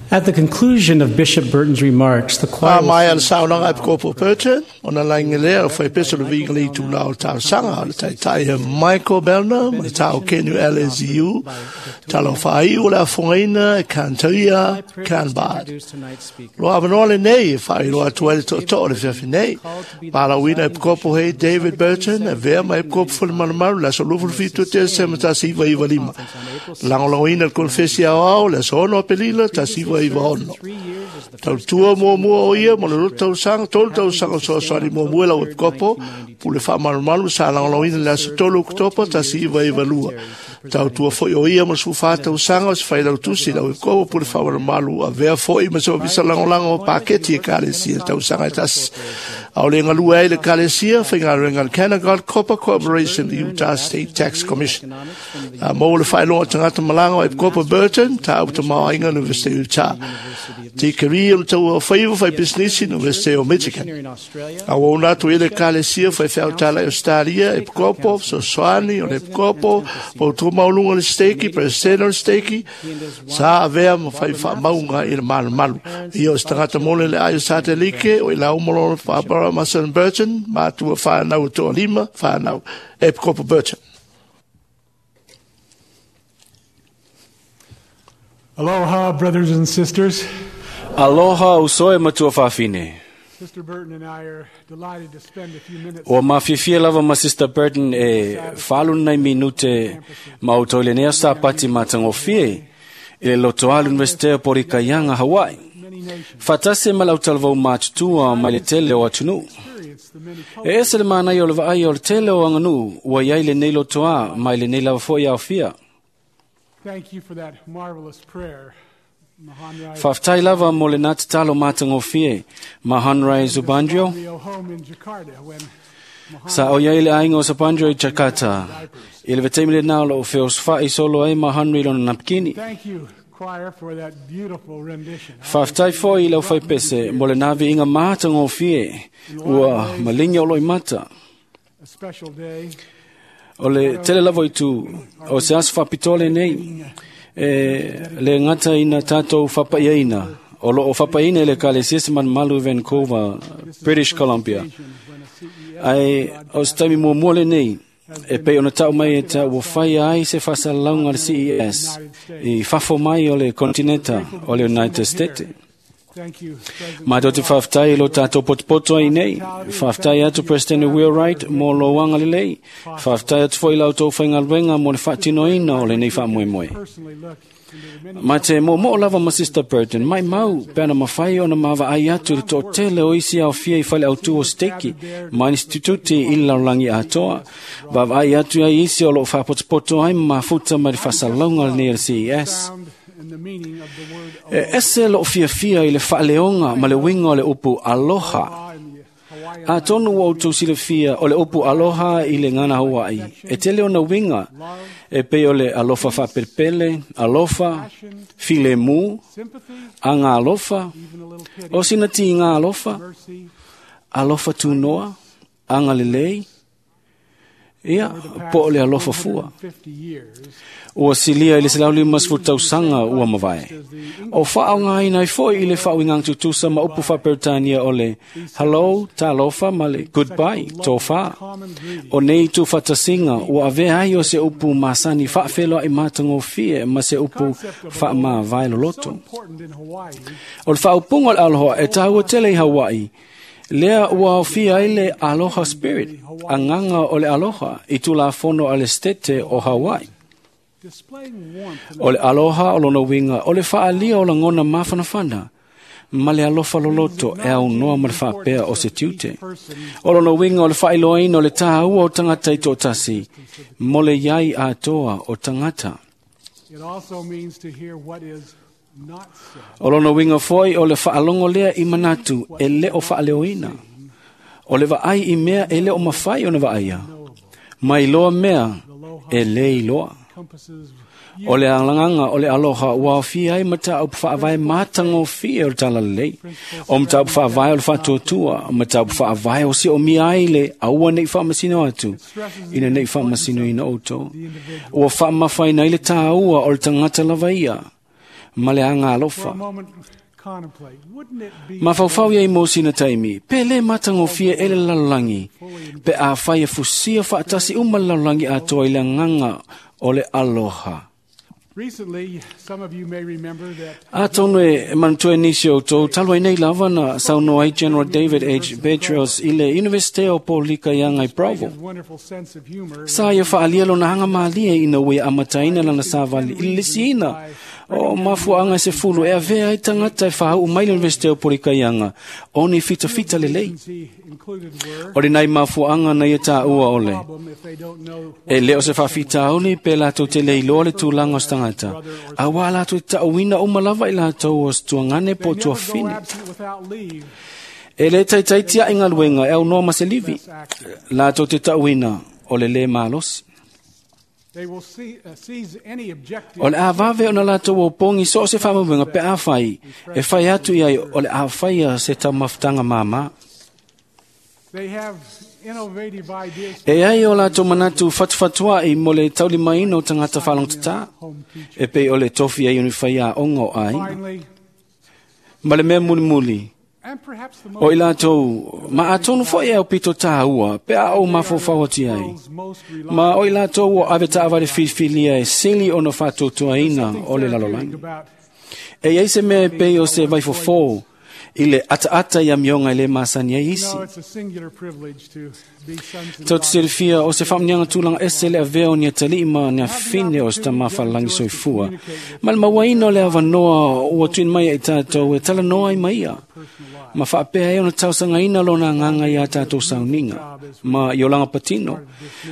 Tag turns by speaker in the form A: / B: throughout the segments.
A: At the conclusion of Bishop Burton's remarks, the choir
B: A mai le saunoaga a Epikopo Burton, ona laina lea o faipese o le viiga le itulā o le talosaga o le taitai e Michael Bellner ma le tao Kenu LSU, talo whaaiu o le afogaina e Cantoia Canbard. Loa avanoa lenei e faailoa atu ai le tootoo o le fiafi nei. Palauina Epikopo hei David Burton, e vea ma Epikopo Fulemalumalu, le aso 27 Tesema 1995. Lagolagoina le konefesi aoao le aso 6 Aperila 1996. Tautua muamua o ia mo le 2 tausaga, 3 tausaga o fesoasoani muamua i lau Epikopo, pule faamalumalu sa lagolagoina le aso 3 Oketopa 1992. Tautua foi o ia mo le 14 tausaga o se failautusi i lau Epikopo pule faamalumalu avea foi ma se ofisa lagolago o paketi e Ekalesia tausaga e tasi. A o le galue ai le Ekalesia, faigaluega le Canada Copper Corporation, the Utah State Tax Commission. A maua le faailoga tagata malaga o Epikopo Burton, tāu tamaoaiga University o Utah. Tikeri o le taua o faiva fai pisinisi University o Michigan. A ua una atu i le Ekalesia faifeau talai Australia, Epikopo, fesoasoani o le Epikopo, poutua maualuga o le Steki, Presidente o le Steki, sa avea ma fai faamauga i le malumalu. Ia o se tagata mole le ai o Satelike, o i lau lona Barbara Mason Burton, matua whanau o toa lima, whanau, Epikopo Burton.
C: Aloha, brothers and sisters.
D: Aloha uso e matua fafine.
C: Sister Burton and I are delighted to spend a few minutes
D: Ua mafiafia lava ma Sister Burton e falu nai minute ma o toi lenei sa pati matagofie i le lotoa Universite o Porikaianga, Hawaii.
C: many nations
D: Fatase ma lau talavou matutua mai le tele o atunuu.
C: experience the many
D: E ese le manaia o le vaai o le tele o aganuu ua iai lenei lotoa mai lenei lava foi aofia.
C: Thank you for that marvelous prayer, Mahanrai.
D: Faafetai lava mo le nā tatalo matagofie Mahanrai Zubandrio.
C: Rio home in Jakarta when
D: Sa o iai le aiga o Sapandrio i Jakarta. I le vetaimi le nā o loo feosofai solo ai Mahanri lona napkini.
C: Thank you, choir, for that beautiful rendition.
D: Faafetai foi i lau faipese mo le nā viiga matagofie ua malingi o loi mata.
C: A special day.
D: O le tele lava i tu o se aso faapitoa lenei e le gata ina tatou fapaiaina o loo fapaiina i le Ekalesia se malumalu i Vancouver, British Columbia.
C: When a CES
D: Ae o se taimi muamua lenei e pei ona tau mai e ta ua faia ai se faasalalauga a le CES i fafo mai o le kontinenta o le United States.
C: Thank you, President
D: Ma te faafetai i lo tātou potopoto ai nei. Faafetai atu President Wheelwright mo lo lelei. Faafetai atu foi lau tau whaingaluenga mo le whaatinoina o lenei whaamoemoe.
C: personally look into the many
D: Ma te mo mo lava ma Sister Burton, mai mau pe ana mawhai ona mawa ai atu le tō tele o isi au fia i whale au tu o steki, ma instituti i le laulangi atoa. Vawa ai atu ai isi o lo whaapotopoto ai ma mafuta ma le whasalaunga le nei le CES.
C: sound and the meaning of the word
D: E ese lo fiafia i le whaaleonga ma le winga o le upu aloha.
C: aloha in the Hawaiian
D: A tonu o outou silafia o le upu aloha i le ngana Hawaii. E tele ona winga e pei o le alofa whaapelepele, alofa, filemu,
C: sympathy,
D: anga alofa,
C: even a little pity,
D: o sina ti ngā alofa,
C: mercy,
D: alofa tūnoa, anga lelei, ia, po o le alofa fua.
C: 50 years.
D: Ua silia i le 150 tausaga ua mavae. O whaongaina ai foi i le whaoingang tutusa ma upu whaperitania o le hello, talofa ma le goodbye, tō whā.
C: Common greeting.
D: O nei tū whatasinga, ua avea ai o se upu masani whaawhelo ai mātangofie ma se upu whaamā
C: So
D: loloto.
C: important in Hawaii,
D: O le whaopunga o le aloha e tāua tele i Hawaii, lea ua aofia ai le Aloha Spirit, anganga o le aloha i tūlafono a le stete o Hawaii.
C: displaying warmth and
D: O le aloha o lona winga, o le whaalia o langona mafanafana, ma le alofa loloto e au noa ma le whaapea o se tiute. O lona winga o le whailoaina o le tāua o tangata i tōtasi, mo le iai atoa o tangata.
C: It also means to hear what is not said.
D: O lona winga foi o le whaalongo lea i manatu e le o whaaleoina. O le vaai i mea e le o mawhai o na vaaia. Mai loa mea e le iloa.
C: Compasses
D: O le alanganga o le aloha ua aofia ai mataupu faavae matagofie o le talalelei. O mataupu faavae o le faatuatua, mataupu faavae o si o mia ai le aua nei faamasino atu, ina nei faamasinoina outou. Ua faamafaina ai le tāua o le tagata lava ia. ma le aga alofa. Mafaufau ia i mo sina taimi, pe le matagofie e le lalolagi, pe afai e fusia faatasi uma le lalolagi atoa i le agaga o le aloha. Atonu e manatua e nisi o outou, talu ai nei lava na saunoa ai General David H. Petraeus i le Universite o Polika ia i Provo. Sa ia faalia lona aga malie ina ua ia amataina lana savali i le lisiina o mafuaaga e 10 e avea ai tagata e faauu mai le Universite o Polikaiaga o ni fitafita lelei. O lenai mafuaaga na ia taua ole e le o se faafitauli pe latou te le iloa le tulaga o se tagata, auā latou te taʻuina uma lava i latou o se tuagane po o tuafine. E le taitaitiaʻi galuega e aunoa ma se livi, latou te taʻuina o le lē malosi. O le avave ona latou opogi so o se faamauega pe afai e fai atu i ai o le afaia se taumafataga māmā. E ai o latou manatu fatufatuaʻi mo le taulimaina o tagata faalogotatā, e pei o le tofi ai o ni faiaoga o aiga. Ma le mea mulimuli, o i latou ma atonu foi e aupito tāua pe a ou mafaufau atu ai. Ma o i latou o ave taavale filifilia e sili ona faatuatuaina o le lalolagi. E iai se mea e pei o se vaifofō i le ataata i amioga e lē masani ai isi. Tou te silafia o se faamuniaga tulaga ese le avea o ni atalii ma ni afine o se tamā faalelagi soifua, ma le mauaina o le avanoa ua tuuina mai ai tatou e talanoa ai ma ia, ma faapea ai ona tausagaina lona agaga iā tatou sauniga ma i olaga patino.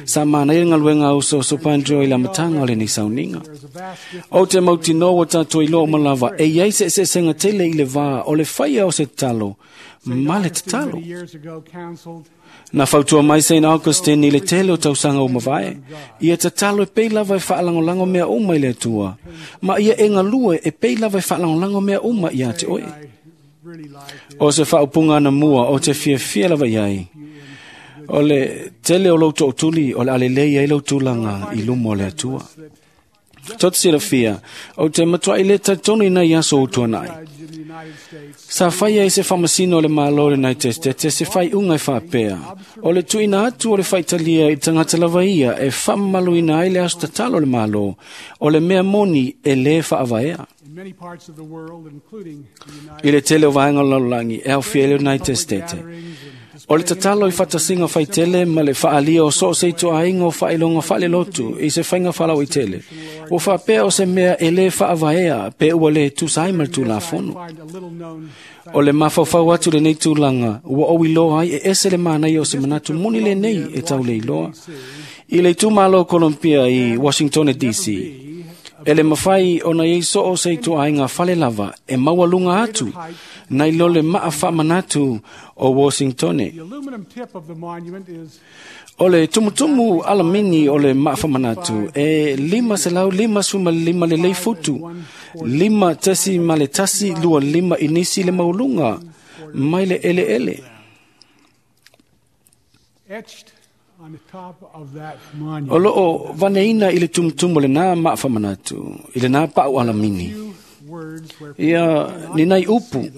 D: Sa manaia le galuega a usoso Pandro i le amataga o lenei sauniga. Ou te mautinoa ua tatou iloa uma lava e iai se eseesega tele i le vā o le faia o se tatalo ma le tatalo. Na fautua mai St. Augustine i le tele o tausaga o mavae, ia tatalo e pei lava e faalagolago mea uma i le Atua, ma ia e galue e pei lava e faalagolago mea uma ia te oe. O se faaupuga anamua o te fiafia lava i ai, o le tele o lou tootuli o le alelei ai lou tulaga i luma o le Atua. Tou te silafia, ou te matuai le talitonu i nai aso o tuanai. Sa faia i se faamasino o le Malo o le United States se faaiuga e faapea, o le tuuina atu o le faitalia i tagata lava ia e faamamaluina ai le aso tatalo o le Malo, o le mea moni e lē faavaea. I le tele o vaega o le lalolagi e aofia ai le United States, o le tatalo i faatasiga faitele ma le faalia o so o se ituaiga o faailoga faalelotu i se faiga faalauaitele, ua faapea o se mea e lē faavaea pe ua lē tusa ai ma le Tulafono. O le mafaufau atu lenei tulaga ua ou iloa ai e ese le manaia o se manatu moni lenei e tauleiloa. I le itumalo o Columbia i Washington DC, e le mafai ona iai so o se ituaiga fale lava e maualuga atu nai lo le maa faamanatu o Washingtone. O le tumutumu alamini o le maa faamanatu e 555 lelei futu, 5.125 inisi le mauluga mai le eleele. O loo vaneina i le tumutumu lenā maa faamanatu, i lenā pau alamini. Ia ni nai upu,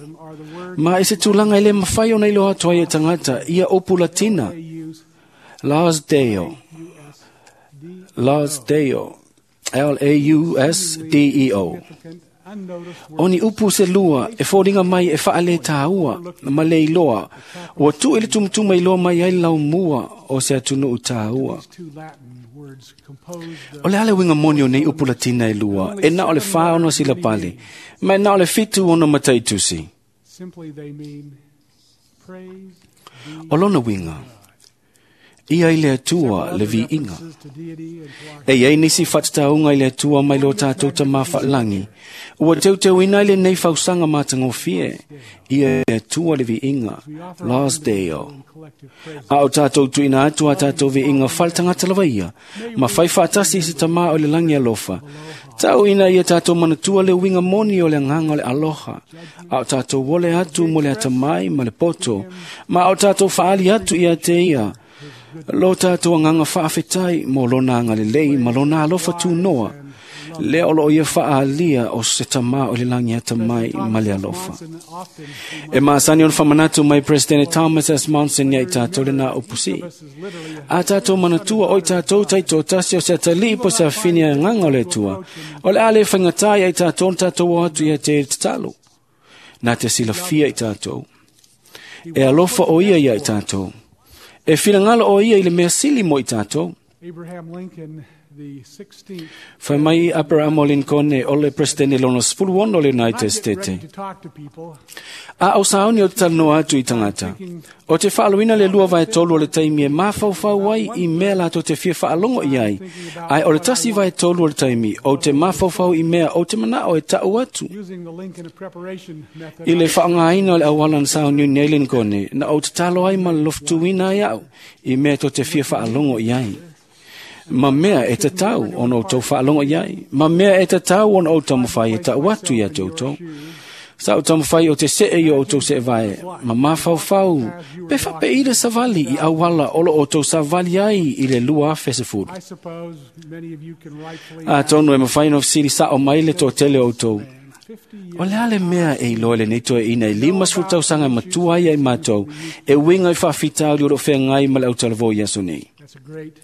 D: ma i se tulaga e lē mafai ona iloa atu ai e tagata ia upu Latina, Laus Deo, Laus Deo, L-A-U-S-D-E-O. O ni upu se lua e foliga mai e faaletāua ma le iloa, ua tuu i le tumutumu e iloa mai ai le laumua o se atunuu tāua. O le a le uiga moni o nei upu Latina e lua, e na o le 4 ona silapale, ma e na o le 7 ona mataitusi. O lona uiga, ia i le Atua le viiga. E iai nisi faatatauga i le Atua mai lo tatou tamā faalagi, ua teuteuina ai lenei fausaga matagofie, ia i le Atua le viiga, Laus Deo. A o tatou tuuina atu a tatou viiga faletagata lava ia, ma fai faatasi i se tamā o le lagi alofa, tauina ia tatou manatua le uiga moni o le agaga o le aloha, a o tatou ole atu mo le atamai ma le poto, ma a o tatou faaali atu ia te ia, lo tatou agaga faafetai mo lona agalelei ma lona alofa tunoa, Lea o loo ia faalia o se tamā o le lagi atamai ma le alofa. E masani ona faamanatu mai President Thomas S. Monson ia i tatou lenā upu sii. A tatou manatua o i tatou taitoatasi o se atalii po o se afine agaga o le Atua. O le a le faigatā ia i tatou ona tatou o atu ia te i le tatalo. Na te silafia i tatou. E alofa o ia ia i tatou. E finagalo o ia i le mea sili mo i tatou.
C: Abraham Lincoln, the 16th.
D: Fai mai Abraham Lincoln o le presidente lona 16 o le United
C: I get
D: States.
C: ready to talk to people.
D: A o saoni o te talanoa atu i tagata. O te faaluina le 2/3 o le taimi e mafaufau ai i mea latou te fia faalogo i ai. Ae o le 1/3 o le taimi o te mafaufau i mea o te manao e tau atu.
C: Using the Lincoln preparation method,
D: I le faaaogaina o le auala na sauniuni ai Lincoln, na ou tatalo ai ma lofotuina ai au i mea tou te fia faalogo i ai. Ma mea e tatau ona outou faalogo i ai. Ma mea e tatau ona ou taumafai e tau atu ia te outou. Sa ou taumafai o te see i o outou seevae, ma mafaufau, pe faapei le savali i auala o lo outou savali ai i le 2010.
C: I suppose many of you can rightfully
D: Atonu e mafai ona fesili sao mai le toatele o outou.
C: 50
D: O le a le mea e iloa lenei toeaina i 50 tausaga e matua ai ai matou, e uiga i faafitauli o loo feagai ma le autalavou i aso nei.
C: That's a great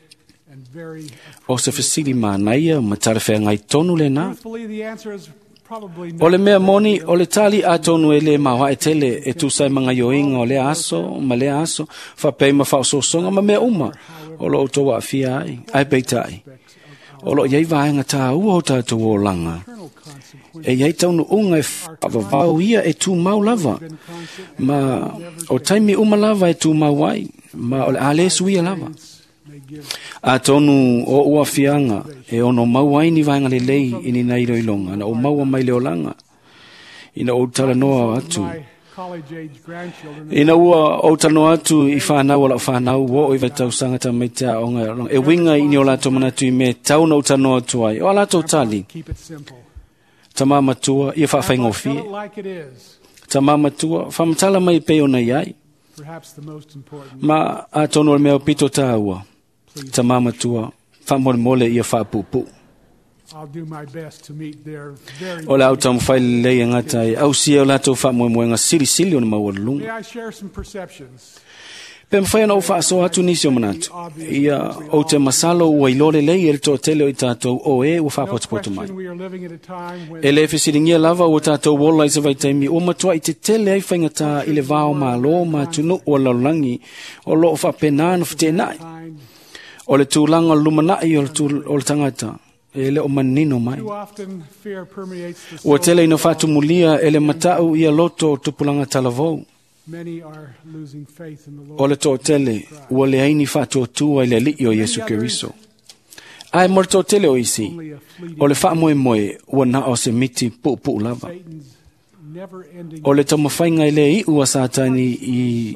C: and very
D: O se fesili manaia ma talafeagai tonu lenā.
C: Truthfully, the answer is probably
D: O le mea moni, o le tali atonu e le maoae tele e tusa ai ma gaioiga o lea aso ma lea aso, faapei ma faaosoosoga ma mea uma o lo outou aafia ai. Ae peitai, o loo iai vaega tāua o tatou olaga.
C: eternal consequences
D: E iai taunuuga e faavavau ia e tumau lava, ma o taimi uma lava e tumau ai, ma o le a le suia lava.
C: may give
D: Atonu o ua fianga e ono mau ai ni vaega lelei i ni nai iloiloga na o maua mai le olaga. Ina ou talanoa atu.
C: my college age grandchildren
D: Ina ua ou talanoa atu i whanau o lau whanau o i vaitausaga tamaiti aoga e winga i ni o latou manatu i mea tau na ou talanoa atu ai. O a latou tali,
C: keep it simple.
D: tamā matua, ia
C: Tell
D: whaawhaingofie.
C: it like it is.
D: Tamā matua, whamatala mai pe ona iai.
C: Perhaps the most important.
D: Ma atonu o le mea o pito tāua. Tamā matua, whamolemole ia whaapupu.
C: I'll do my best to meet their very
D: O le au taumafai lelei e gata ai, ausia o latou faamoemoega silisili o na maualuluga.
C: May I share some perceptions?
D: Pe mafai ona ou faasoa atu nisi o manatu. Ia ou te masalo ua iloa lelei e le toatele o i tatou o e ua
C: No
D: faapotopoto mai.
C: question we are living at a time when
D: E le fesiligia lava ua tatou ola i se vaitaimi ua matuai tetele ai faigata i le vao malo ma atunuu o lalolagi o loo faapenā na feteenai.
C: kind
D: O le tulaga o le lumanai o le o le tagata e le o manino mai.
C: too often fear permeates the
D: Ua
C: soul.
D: tele ina faatumulia e le matau ia loto o tupulaga talavou.
C: Many are losing faith in the Lord.
D: O le toatele ua leai ni faatuatua i le alii o Iesu Keriso. Ae mo le toatele o isi,
C: Only a fleeting
D: o le faamoemoe ua na o se miti puupuu lava.
C: Satan's never-ending
D: O le taumafaiga i le iu a Satani i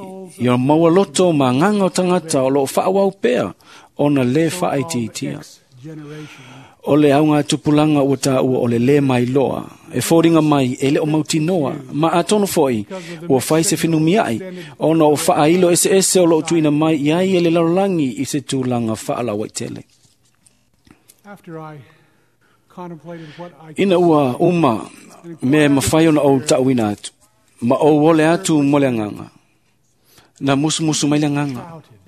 D: o maua loto ma agaga o tagata o loo faauau pea ona le faaitiitia.
C: generation.
D: O le auga tupulaga ua taua o le lē mailoa, e foliga mai e le o mautinoa, ma atonu foi ua fai se fenumiai, ona o faailo eseese o loo tuuina mai i ai e le lalolagi i se tulaga faalauaitele.
C: After I contemplated what I
D: Ina ua uma mea e mafai ona ou taʻuina atu, ma ou ole atu mo le agaga. Na musumusu mai le agaga,
C: shouted,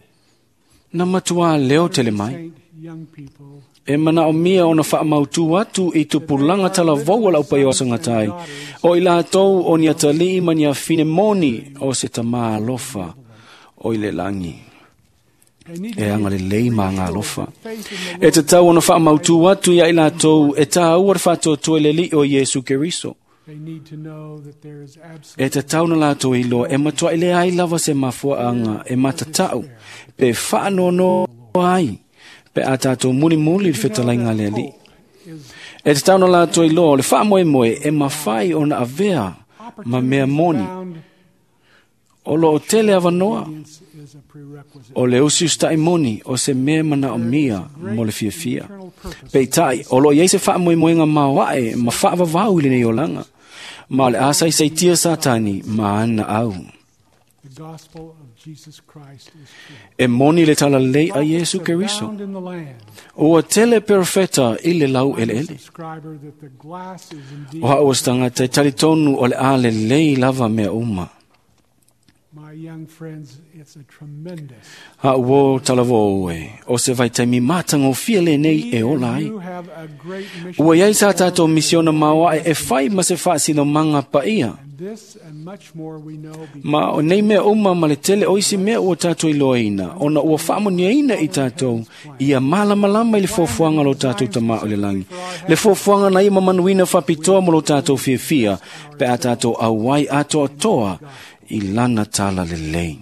D: na matuā leo tele mai.
C: saint young people
D: E manaomia ona faamautū atu i tupulaga talavou o lau paia o sagatai, o i latou o ni atalii ma ni afine moni o se tamā alofa o i le lagi.
C: they need to
D: E agalelei ma agalofa.
C: faith in the
D: E tatau ona faamautū atu ia i latou e tāua le faatuatua i le alii o Iesu Keriso.
C: They need to know that there is absolute
D: E tatau na latou iloa e matuai le ai lava se mafuaaga e matatau pe faanoanoa ai pe a tatou mulimuli le fetalaiga a le alii.
C: is
D: E tatau na latou iloa o le faamoemoe e mafai ona avea ma mea moni.
C: found
D: O loo tele avanoa
C: obedience is a prerequisite.
D: o le usiusitai moni o se mea manaomia mo le fiafia. Peitai, o loo iai se faamoemoega maoae ma faavavau i lenei olaga. Ma o le asaisaitia Satani ma ana au.
C: The gospel of Jesus Christ is true.
D: E moni le talalelei a
C: Prophets
D: Iesu Keriso.
C: abound in the land.
D: Ua tele perofeta i le lau eleele.
C: Subscriber that the glass is indeed
D: O hao o se tagata e talitonu o le a lelei lava mea uma.
C: My young friends, it's a tremendous.
D: Hao o talavo e, o se vaitaimi matagofie lenei e ola ai.
C: You have a great mission.
D: Ua iai sa tātou misiona maoae e fai ma se faasinomaga paia.
C: And this and much more we know because
D: Ma o nei mea uma ma le tele o isi mea ua tātou iloaina, ona ua faamoniaina i tātou, ia malamalama i le fuafuaga o lo tātou tamā o le lagi. Le fuafuaga na ia mamanuina faapitoa mo lo tātou fiafia, pe a tātou auai atoatoa i lana tala lelei.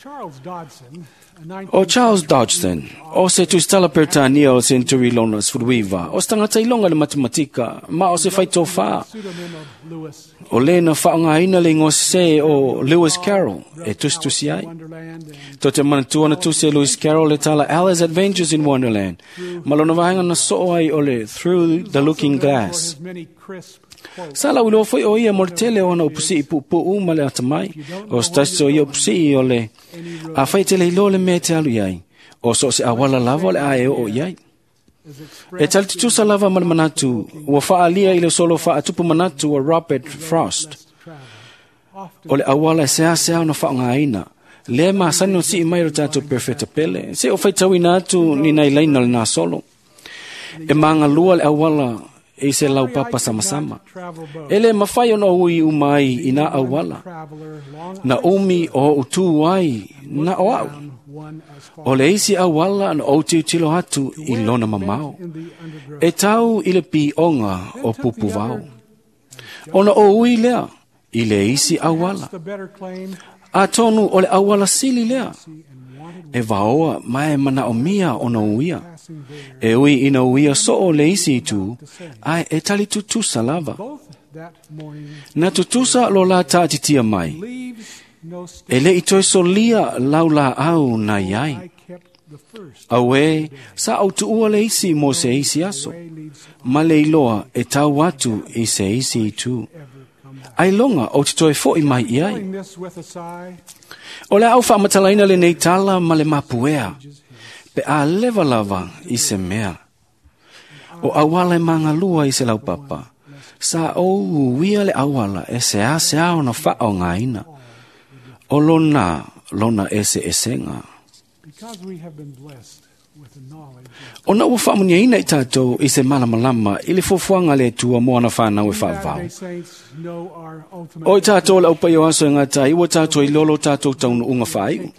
C: Charles Dodson, a
D: O Charles Dodgson, o se tusitala Peretania o Century Lona Sefuluiva, o se tagata iloga le matematika, ma o se faitofā.
C: pseudonym of Lewis
D: O lena faaaogaina le igoa sesē o Lewis Carroll e tusitusi ai.
C: Wonderland and
D: To te manatua na tusi e Lewis Carroll le tala Alice Adventures in Wonderland, ma lona vaega na soo ai o le Through the Looking
C: for
D: Glass.
C: his many crisp quotes.
D: Sa lau iloa foi o ia mo le tele o ana upusii puupuu ma le atamai, o se tasi o ia upusii o le a fai tele iloa le mea e te alu i ai, o so o se awala lava o le a e oo i ai.
C: Is
D: E
C: expressed
D: tali tutusa lava ma le manatu, ua faalia i le solo faatupu manatu a Robert Frost.
C: less travel. Often
D: O le auala e seasea ona faaaogaina. Lea masani ona sii mai o le tatou perfeta pele. Se o faitauina atu ni nai laina o le nasolo. E magalua le auala i se laupapa samasama.
C: travel both.
D: E le mafai ona ui uma ai i nā auala.
C: Traveler long
D: Na umi o utu ai na o au.
C: down one as far
D: O le isi auala na ou tilotilo atu i lona mamao.
C: in the undergrowth.
D: E tau i le pioga o pupuvao. Ona o ui lea i le isi auala.
C: The better claim
D: Atonu o le auala sili lea.
C: and wanted
D: E vaoa mae manaomia ona uia.
C: passing there.
D: E ui ina uia soo le isi itu, ae e tali tutusa lava.
C: Both that morning
D: Na tutusa lo la taatitia mai.
C: leaves no step.
D: E le i toe solia lau la au na iai.
C: I kept the first.
D: Auē, sa au tuua le isi mo se isi aso.
C: Way leads
D: Ma le iloa e tau atu i se isi itu.
C: ever come back.
D: Ai longa o te toe fo'i mai i ai.
C: Telling this with a sigh,
D: O le au faamatalaina lenei tala ma le mapuea, pe a leva lava i se mea. O auala e magalua i se laupapa, sa ou uia le auala e seasea ona faaaogaina. O lona, lona eseesega.
C: because we have been blessed with the knowledge of
D: Ona ua faamuniaina i tātou i se malamalama i le fuafuaga a le Atua mo ana whanau e whaavao.
C: Latter-day Saints know our ultimate
D: O i tātou le aupai o aso e ngā tai, ua tātou i lolo tātou taunu unga whaiu.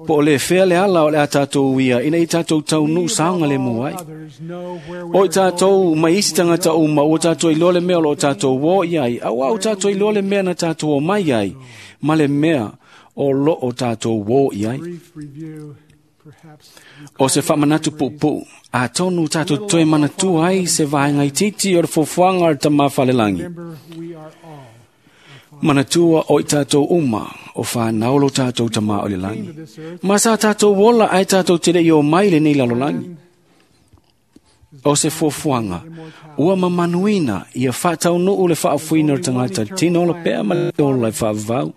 D: Po o le whea le ala o le a tātou ia, ina i tātou taunu saonga le mua ai.
C: others know where we
D: O i
C: are
D: tātou mai isi tangata uma, ua tātou i lole mea o lo tātou o i ai, au au tātou i lole mea na tātou o mai ai, ma le mea o lo o tātou o i ai.
C: Brief review, perhaps
D: O se whaamanatu pupu, a tonu tātou toe manatua ai se vaenga i titi o le fuafuaga o le tama whalelangi.
C: remember we are all
D: Manatua o i tātou uma, o whanau lo tātou tama o le langi.
C: to this earth
D: Ma sa tātou ola ai tātou te rei o mai le nei lalolangi. O se fuafuaga, ua mamanuina ia whaataunuu le whaafuina o le tangata tino o le pea ma le ola e whaavavau.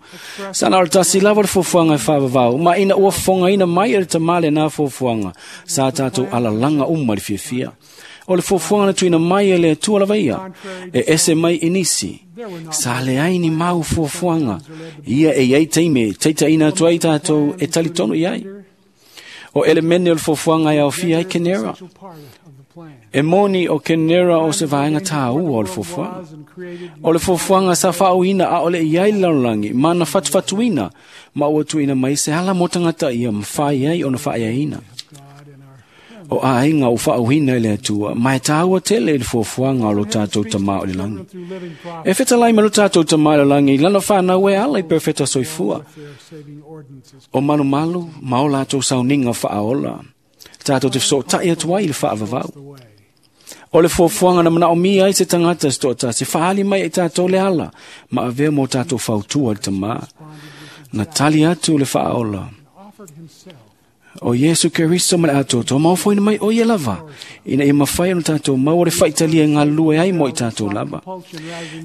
D: Sana o le tasi lava le fuafuaga e whaavavau, ma ina ua fongaina mai e le tamale nā fuafuaga, sa tātou alalanga uma le fiafia. O le fuafuaga na tuina mai e le Atua lava ia, e ese mai i nisi. Sa le ai ni mau fuafuaga, ia e iai teime, teita ina atu ai tātou e talitonu i ai. O elemene o le fuafuaga e aofia ai Kenera.
C: essential part of the plan.
D: E moni o Kenera o se vaenga tāua o le fuafuaga.
C: Was and created
D: O le fuafuaga sa faauina a o le iai le lalolagi, ma na fatufatuina, ma ua tuuina mai se ala mo tagata ia mafai ai ona faaiaina.
C: God in our
D: O aiga o faauina i le Atua, ma e tāua tele i le fuafuaga o lo tātou tamā o le lagi.
C: through living
D: E
C: prophets
D: fetalai ma lo tātou tamā o le lagi, lana whanau e ala i perfeta soifua.
C: with their saving ordinances.
D: O malumalu, ma o lātou sauninga faaola. Tātou te fesotai atu ai i le faavavau.
C: The way.
D: O le fuafuaga na manaomia ai se tagata se toatasi, faali mai e tātou le ala, ma avea mo tātou fautua le tamā. Na tali atu le faaola,
C: Offered himself
D: O Iesu Keriso ma le atoatoa maofoina mai o ia lava, ina ia mafai ona tatou maua le faitalia e galulue ai mo i tatou lava.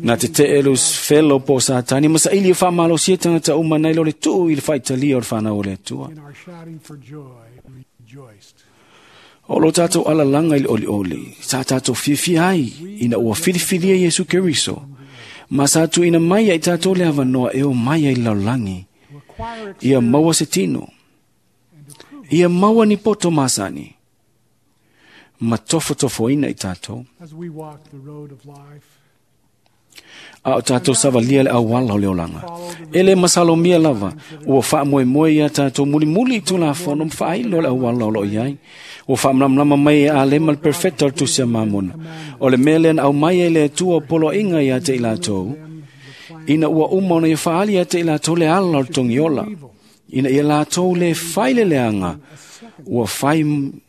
D: Na tete'e Lusifelo po o Satani ma saili e faamalosia tagata uma nai lo le tuu i le faitalia o le fanau o le Atua.
C: In our shouting for joy, rejoiced.
D: O lo tatou alalaga i le olioli, sa tatou fiafia ai ina ua filifilia Iesu Keriso, ma sa tuuina mai ai tatou le avanoa e o mai ai i le lalolagi,
C: To acquire
D: ia maua se tino, ia maua ni poto masani, ma tofotofoina i tatou.
C: as we walk the road of life.
D: A o tatou savalia le auala o le olaga. E le masalomia lava, ua faamoemoe ia tatou mulimuli i tulafono ma faailo le auala o loo i ai. Ua faamalamalama mai e Alema le perfecta o le tusi a Mamona. O le mea lea na aumai ai le Atua o poloaiga ia te i latou, ina ua uma ona ia faaali ia te i latou le ala o le togiola, ina ia latou le fai le leaga, ua fai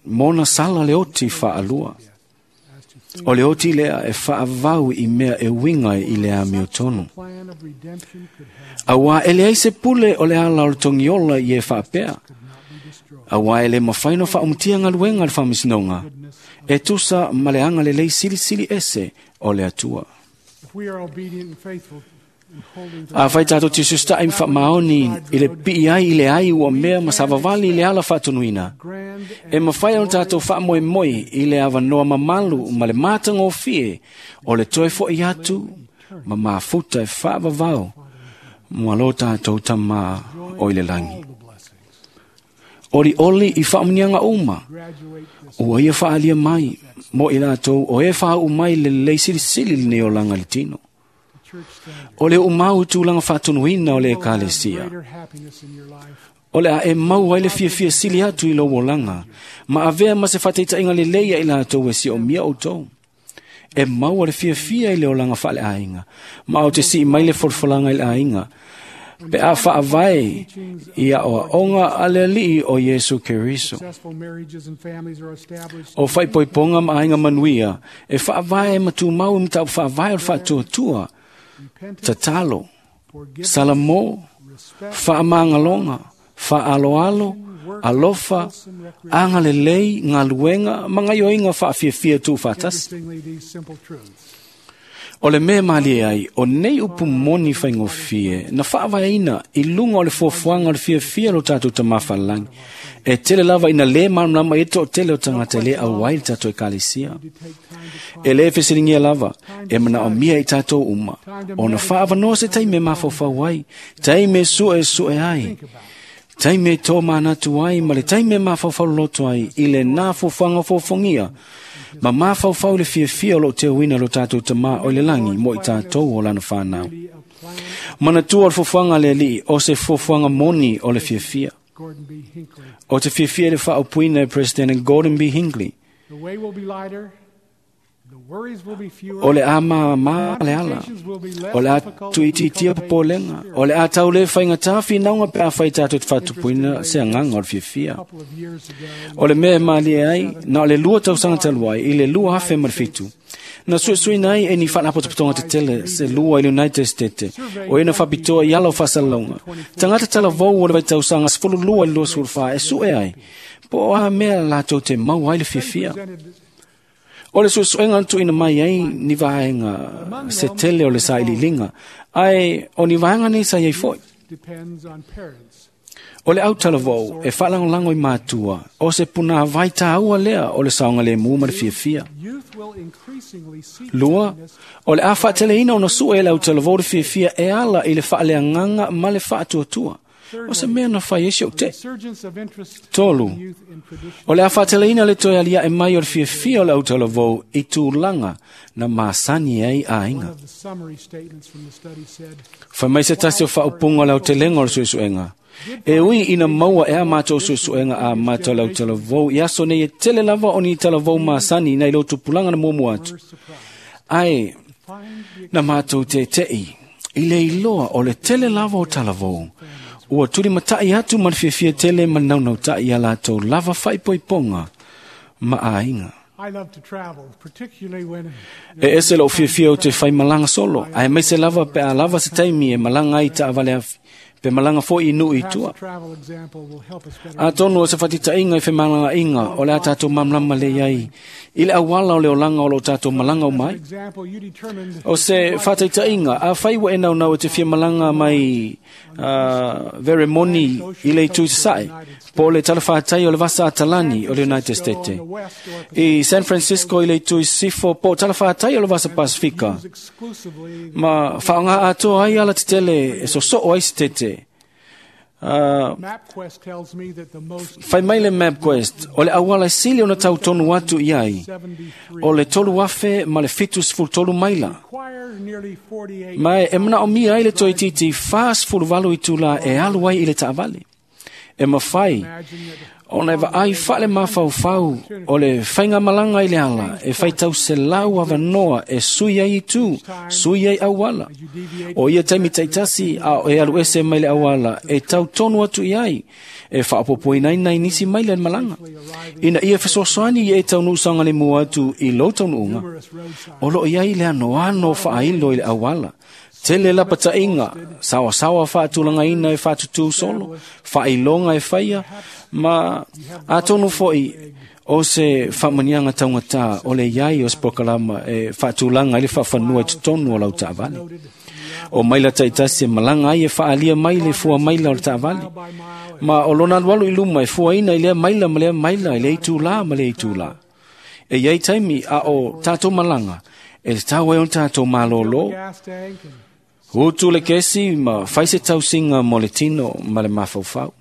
D: mona sala le oti faalua. O le oti lea e faavau i mea e uiga i le amiotonu.
C: Plan of redemption could have
D: Auā e leai se pule o le ala o le togiola i e faapea. Auā e le mafai ona faaumatia galuega a le faamasinoga, e tusa ma le agalelei silisili ese o le Atua.
C: If we are obedient and faithful in holding to
D: A fai tatou te susita'i ma faamaoni i le pii ai i le ai ua mea ma savavali i le ala faatonuina,
C: grand
D: e mafai ona tatou faamoemoe i le avanoa mamalu ma le matagofie o le toe fo'i atu ma mafuta e faavavao ma lo tatou tamā o i le lagi.
C: all the blessings.
D: Olioli i faamuniaga uma
C: Graduate this
D: ua ia faaalia mai mo i latou o e faauu mai le lelei silisili lenei olaga i le tino.
C: church standard.
D: O le uumau i tulaga faatonuina o le
C: You will have
D: ekalesia.
C: greater happiness in your life.
D: O le a e mau ai le fiafia sili atu i lou olaga, ma avea ma se faataitaiga lelei ia i latou e siomia outou. E maua le fiafia i le olaga faaleaiga, ma o te sii mai le folafolaga i le aiga, pe a faavae i aoaoga a le Alii o Iesu Keriso.
C: Successful marriages and families are established.
D: O faaipoipoga ma aiga manuia, e faavae ma tumau i mataupu faavae o le faatuatua,
C: Repentance,
D: tatalo,
C: forgiveness,
D: salamo,
C: respect,
D: faamagaloga, faaloalo, alofa, agalelei, galuega ma gaioiga faafiafia tuufaatasi.
C: Interestingly, these simple truths.
D: O le mea malie ai, o nei upu moni faigofie, na faavaeina i luga o le fuafuaga o le fiafia lo tatou tamā falelagi. E tele lava ina lē malamalama ai toatele o tagata e lē auai le tatou ekalesia.
C: To take time to
D: E lē fesiligia lava, e manaomia i tatou uma, ona faaavanoa se taimi e mafaufau ai, taimi e suesu'e ai, taimi e tō manatu ai ma le taimi e mafaufau loloto ai i lenā fuafuaga o fofogia, ma mafaufau i le fiafia o loo teuina lo tatou tamā o i le lagi mo i tatou o lana fanau.
C: be a plan.
D: Manatua o le fuafuaga a le Alii o se fuafuaga moni o le fiafia.
C: Gordon B. Hinckley.
D: O te fiafia i le faaupuina e President Gordon B. Hinckley.
C: The way will be lighter. The worries will be fewer.
D: O le a māmā le ala. O le a tuitiitia popolega. O le a tau le faigatā finauga pe a fai tatou te faatupuina se agaga o le fiafia.
C: Couple of years ago,
D: O le mea e malie ai, na o le 2 tausaga talu ai, i le 2007. Na suesueina ai e ni faalapotopotoga tetele se lua i le United States, o ena faapitoa i ala o faasalalauga. Tagata talavou o le vaitausaga 12 i le 24 e sue ai, po o a mea latou te maua ai le fiafia.
C: presented
D: O le suesuega na tuuina mai ai ni vaega se tele o le sailiiliga, ae o ni vaega nei sa iai foi.
C: depends on parents.
D: O le autalavou e faalagolago i matua, o se punāvai tāua lea o le saogalēmū ma le fiafia.
C: Youth will increasingly seek
D: Lua,
C: happiness
D: o le a faateleina ona sue e le autalavou le fiafia e ala i le faaleagaga ma le faatuatua. O se mea na fai ai si ou te.
C: resurgence of interest
D: Tolu,
C: in youth in traditional
D: o le a faateleina le toe aliae mai o le fiafia o le autalavou i tulaga na masani ai
C: One
D: aiga.
C: of the summary statements from the study said,
D: Fai mai se tasi o faaupuga o le aotelega o le suesuega. E ui ina maua e a mātou suesuega a mātou le autalavou i aso nei e tele lava o ni talavou masani nai lo tupulaga na muamua atu.
C: we're surprised
D: Ae,
C: find the
D: na mātou te tei, i le iloa o le tele lava o talavou. Ua tuli matai atu ma le fiafia tele ma le naunautai ia latou lava faaipoipoga ma aiga.
C: I love to travel, particularly when
D: E ese lou fiafia o te whai malaga solo, ae mai se lava pe a lava se taimi e malaga ai taavale afi. Pe malaga fo'i i nuu i tua. Atonu o se fatitaiga i femalagaaiga o le a tatou malamalama lelei ai i le auala o le olaga o loo tatou malaga uma ai. O se faataitaiga, afai ua e naunau e te fia malaga mai Veremoni i le itu i Sasae, po o le talafatai o le vasa Atalani o le United States, i San Francisco i le itu i Sisifo, po o talafatai o le vasa Pasifika, ma faaaoga atoa ai ala tetele e sosoo ai se tete. Fai mai le MapQuest, o le auala e sili ona tautonu atu i ai, o le 3,073 maila. Ma e manaomia ai le toeitiiti 48 itula e alu ai i le taavale. E mafai ona e vaai faale-mafaufau o le faigamalaga i le ala e faitau selau avanoa e sui ai itu, sui ai auala. O ia taimi taitasi a o e alu ese mai le auala e tautonu atu i ai, e faapopoinaina i nisi maila i le malaga. Ina ia fesoasoani ia e taunuu saogalemu atu i lou taunuuga, o loo i ai le anoano faailo i le auala. Tele lapataiga, saoasaoa faatulagaina e faatutū solo, faailoga e faia, ma atonu fo'i o se faamaniaga taugatā o le iai o se polokalama e faatulaga ai le faafanua i totonu o lau taavale. O maila taitasi e malaga ai e faaalia mai le fua maila o le taavale, ma o lona alualu i luma e fuaina i lea maila ma lea maila, i lea itulā ma lea itulā. E iai taimi a o tatou malaga, e tatau ai ona tatou malōlō, utu le kesi ma fai se tausiga mo le tino ma le mafaufau.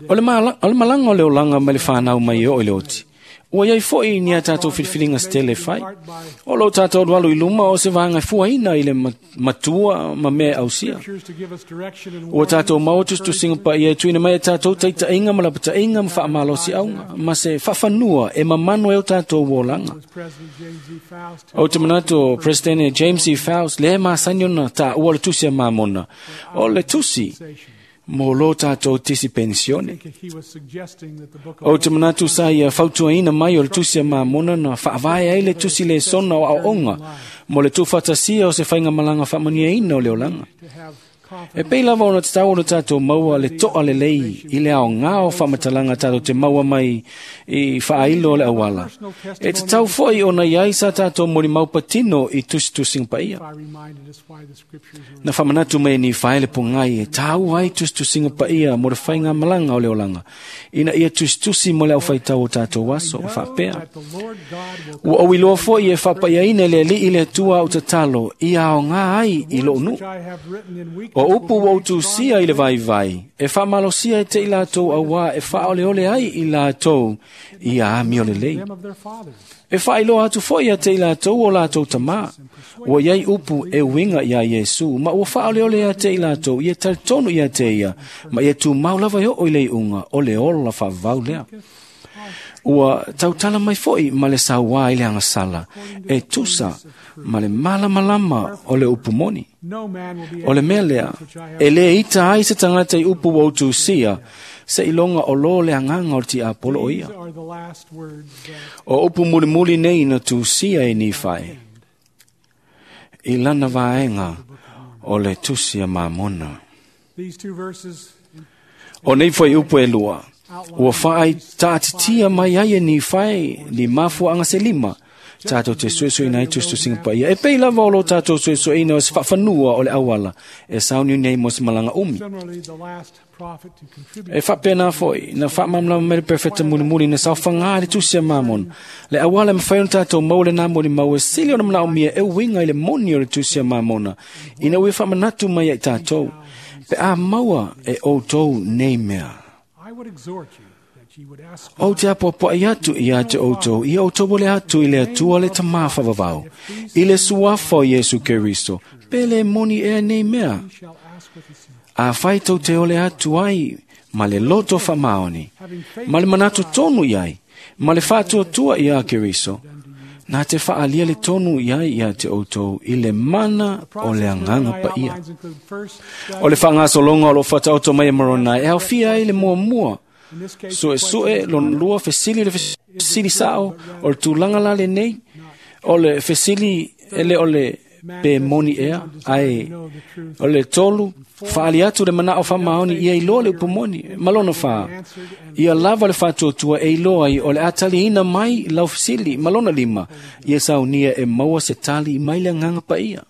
D: O le malaga o le olaga mai le fanau mai e oo i le oti, ua iai fo'i ni a tatou filifiliga setele e fai. O loo tatou alualu i luma o se vaega e fuaina i le matua ma mea e ausia. Ua tatou maua tusitusiga paia e tuuina mai e tatou taitaiga ma lapataiga ma faamalosiauga ma se faafanua e mamano ai o tatou olaga. Ou te manatu o Presidente James E. Faust lea e masani ona taua le tusi a Mamona, o le tusi mo lo tatou tisi penisione. Ou te manatu sa ia fautuaina mai o le tusi a Mamona na faavae ai le tusi lesona o aoaoga mo le tuufaatasia o se faigamalaga faamanuiaina o le olaga. E pei lava ona tatau ona tatou maua le toa lelei i le aogā o faamatalaga tatou te maua mai i faailo o le auala. E tatau fo'i ona iai sa tatou molimau patino i tusitusiga paia. Na faamanatu mai e Nifae le pogai e tāua ai tusitusiga paia mo le faigamalaga o le olaga, ina ia tusitusi mo le aufaitau o tatou aso, faapea. Ua ou iloa fo'i e faapaiaina e le Alii le Atua au tatalo ia aogā ai i lou nuu. O upu ua utusia i le vaivai, e faamalosia e te i latou auā e faaoleole ai i latou ia amio lelei. E faailoa atu fo'i ia te i latou o latou tamā. Ua iai upu e uiga iā Iesu, ma ua faaoleole ia te i latou ia talitonu ia te ia, ma ia tumau lava e oo i le iuga o le ola faavavau lea. Ua tautala mai fo'i ma le sauā i le agasala, e tusa ma le malamalama o le upu moni. O le mea lea, e lē ita ai se tagata i upu ua utusia, seiloga o lō le agaga o le tiapolo o ia. O upu mulimuli nei na tusia e Nifae i lana vaega o le tusi a Mamona. O nei foi upu e lua, ua faaitaatitia mai ai e Nifae ni mafuaaga se lima, tatou te suesueina ai tusitusiga paia. E pei lava o lo tatou suesueina o se faafanua o le auala e sauniuni ai mo se malaga umi. E faapena fo'i na faamalamalama mai le perfeta mulimuli na saofagā le tusi a Mamona. Le auala e mafai ona tatou maua lenā molimau e sili ona manaomia e uiga i le moni o le tusi a Mamona, ina ua faamanatu mai ai tatou, pe a maua e outou nei mea. Ou te apoapoai atu ia te outou, ia outou ole atu i le Atua le Tamā faavavau, i le suafa o Iesu Keriso, pe le moni ea nei mea. Afai tou te ole atu ai ma le loto faamaoni, ma le manatu tonu i ai, ma le faatuatua iā Keriso, na te faaalia le tonu i ai ia te outou i le mana o le agaga paia. O le faagasologa o loo faataoto mai e Moronai e aofia ai le muamua, suesue lona lua fesili le fesili sao o le tulaga la lenei, o le fesili ele o le Pe moni ea, ae o le tolu, whaali atu le mana o whamaoni ia iloa le upumoni, malona wha. Ia lava le whātuatua e iloa i o le atali ina mai lau fisili, malona lima, ia saunia e maua se tali mai le nganga pa ia.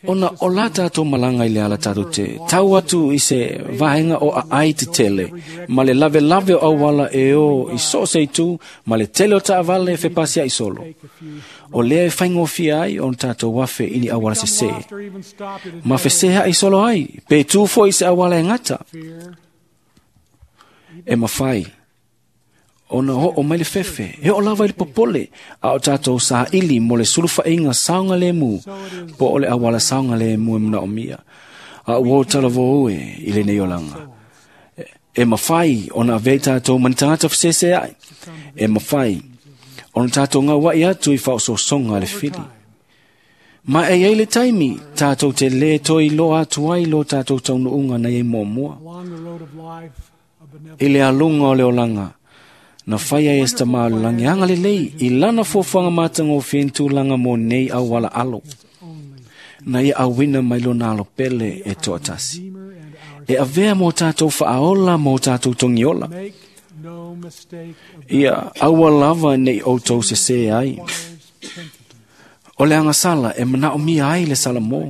D: Ona o la tātou malanga i le ala tātou te tau atu i se vaenga o a ai te tele, ma le lave lave o awala e o i so se itu, ma le tele o taavale e fepasia i solo. O lea e whaingofia ai o tātou wafe ini awala se se. Ma feseha i solo ai, pe tūfo i se awala e ngata. E mawhai. Ona ho o mai le fefe, he o lava i le popole, a o tātou sa ili mo le suluwhainga saonga le mu, po o le awala saonga le mu e muna o mia. A ua o tala vo ue i le nei olanga. E mawhai ona avei tātou mani tangata whasese ai. E mawhai ona tātou ngā wai atu i whaososonga le whiri. Ma e ei le taimi, tātou te le toi loa atu ai lo tātou taunuunga nei e mua. I le alunga o le olanga, na whaia e esta malulangi anga le lei, i lana fuafuanga mātanga o whentu langa mō nei au wala alo. Na ia awina mai lona alo pele e toatasi. E avea mō tātou whaaola mō tātou tongiola. Ia aua lava nei outou se se ai. O le angasala e manao mia ai le sala mō.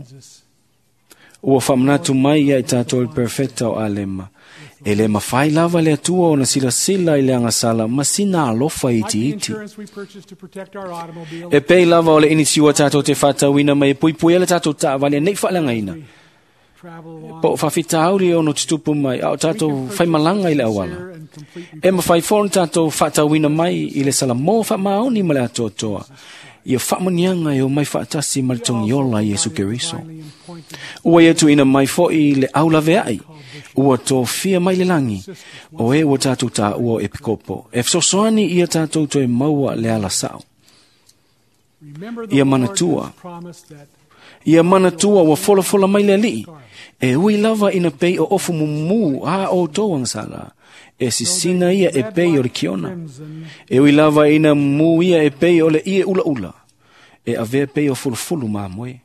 D: Ua whamanatu mai ia i tātou le perfecta o alema. E le mawhai lava le atua o na sila sila i le angasala ma sina alofa iti iti. E pei lava o le inisiua tātou te whātauina mai e pui pui ele tātou taavale nei whaalangaina. Po whawhita auri o no tutupu mai au tātou whaimalanga i le awala. E mawhai fōna tātou whātauina mai i le sala mō whaamaoni ma le atoatoa. Ia whaamonianga e o mai whaatasi ma le tongiola Yesu Keriso. Ua ia tuina mai foi le aulave ai. Ua tō fia mai le langi. O e ua tātou tā ua e pikopo. E fesoasoani ia tātou toe maua le ala sao. Ia manatua. Ia manatua ua folafola mai le alii. E ui lava ina pei o ofu mumu a o tō angsala. E sisina ia e pei o le kiona. E ui lava ina mu ia e pei o le ie ula ula. E avea pei o fulufulu maa moe.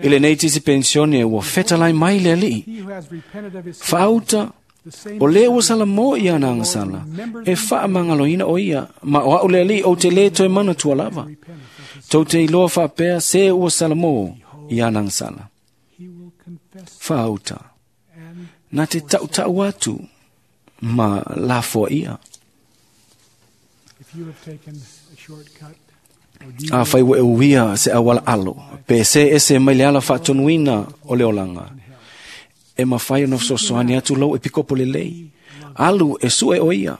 D: I le nei tisi pensione ua fetalai mai le alii. Whaauta, o le ua sala mō ia na angasala. E whaamangaloina o ia, ma o au le alii o te le toe mana tua lava. Tau te iloa whaapea se ua sala mō ia na angasala. Whaauta, nā te tautau atu ma lafoa ia. A whai ua e uia se awala alo, pe se ese mai le ala whaatonuina o le olanga. E mawhai ona fesoasoani atu lau e pikopo le lei. Alu e sue o ia,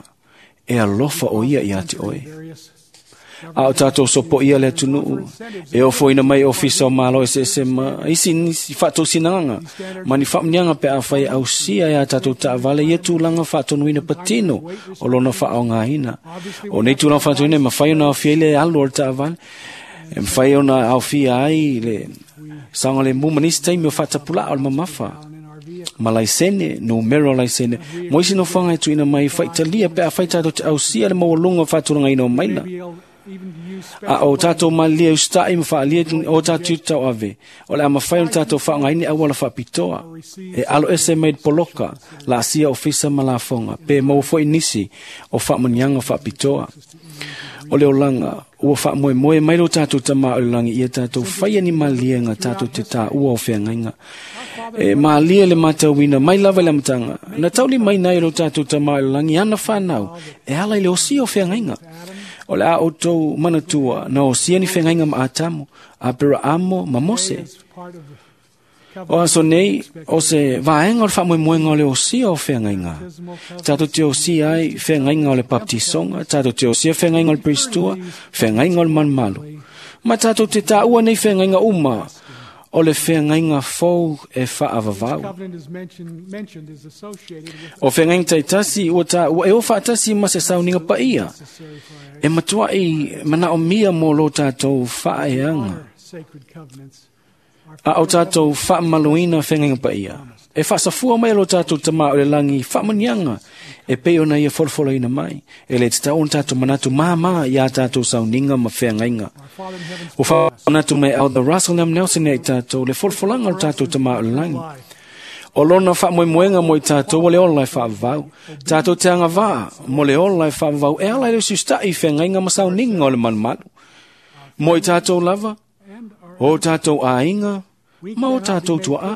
D: e alofa o ia i ate oe. A o tātou sopo ia le atunuu, e ofoina mai ofisa o malo e se ese ma isi nisi whaatou sinanga, ma ni whaamnianga pe a whai au sia e a tātou taavale ia tūlanga whaatonuina patino o lona whaongaina. O nei tūlanga whaatonuina e mawhai ona awhia i le alu o le taavale, e mawhai ona awhia ai le sanga le mu manisi taimi o whaatapula o le mamafa. Ma laisene, no mero laisene, mo isi no whanga e tuina mai whaitalia pe a whai tātou te ausia le mawalunga whaatulanga ina o maila. A o tātou malia ustai ma whaalia o tātou tau ave. O le ama whai o tātou whaangaini awala whaapitoa. E alo ese made poloka, la asia ofisa ma la fonga. Pe maua foi nisi o whaamanianga whaapitoa. O le olanga, ua whaamoe moe mai lo tātou tama o le langi ia tātou whaia ni malia ngā tātou te tā ua o wheangainga. E malia le matauina, mai lava le amatanga. Na tauli mai nai lo tātou tama o le langi ana whanau, e ala i le osi o wheangainga. O le a o tau manatua, na o siani whengainga ma Atamu, a pera amo ma Mose. O aso nei, o se vaenga o le whaamoemoenga o le osia o whengainga. Tātou te osia ai whengainga o le baptisonga, tātou te osia whengainga o le pristua, whengainga o le manumalu. Ma tātou te tāua nei whengainga uma, o le whengainga fou e whaavavau. O whengainga taitasi, ua tāua e o whaatasi ma se sauninga pa ia. E matua i mana o mia mō lo tātou whaeanga. A o tātou whaamaluina whengainga paia. E whaasafua mai lo tātou tama o le langi whaamanianga e pei ona ia folofoloina mai. E le te tau ona tātou manatu māmā i a tātou sauninga ma whengainga. O whaanatu mai au the Russell M. Nelson e tātou le folofolanga o tātou tama o le langi. O lona whaamoemoenga mo i tātou o le ola e whaavau. Tātou te anga vā mo le ola e whaavau e ala e le sustai whengainga ma sauninga o le manumalu. Mo i tātou lava, o tātou āinga, ma o tātou tua a.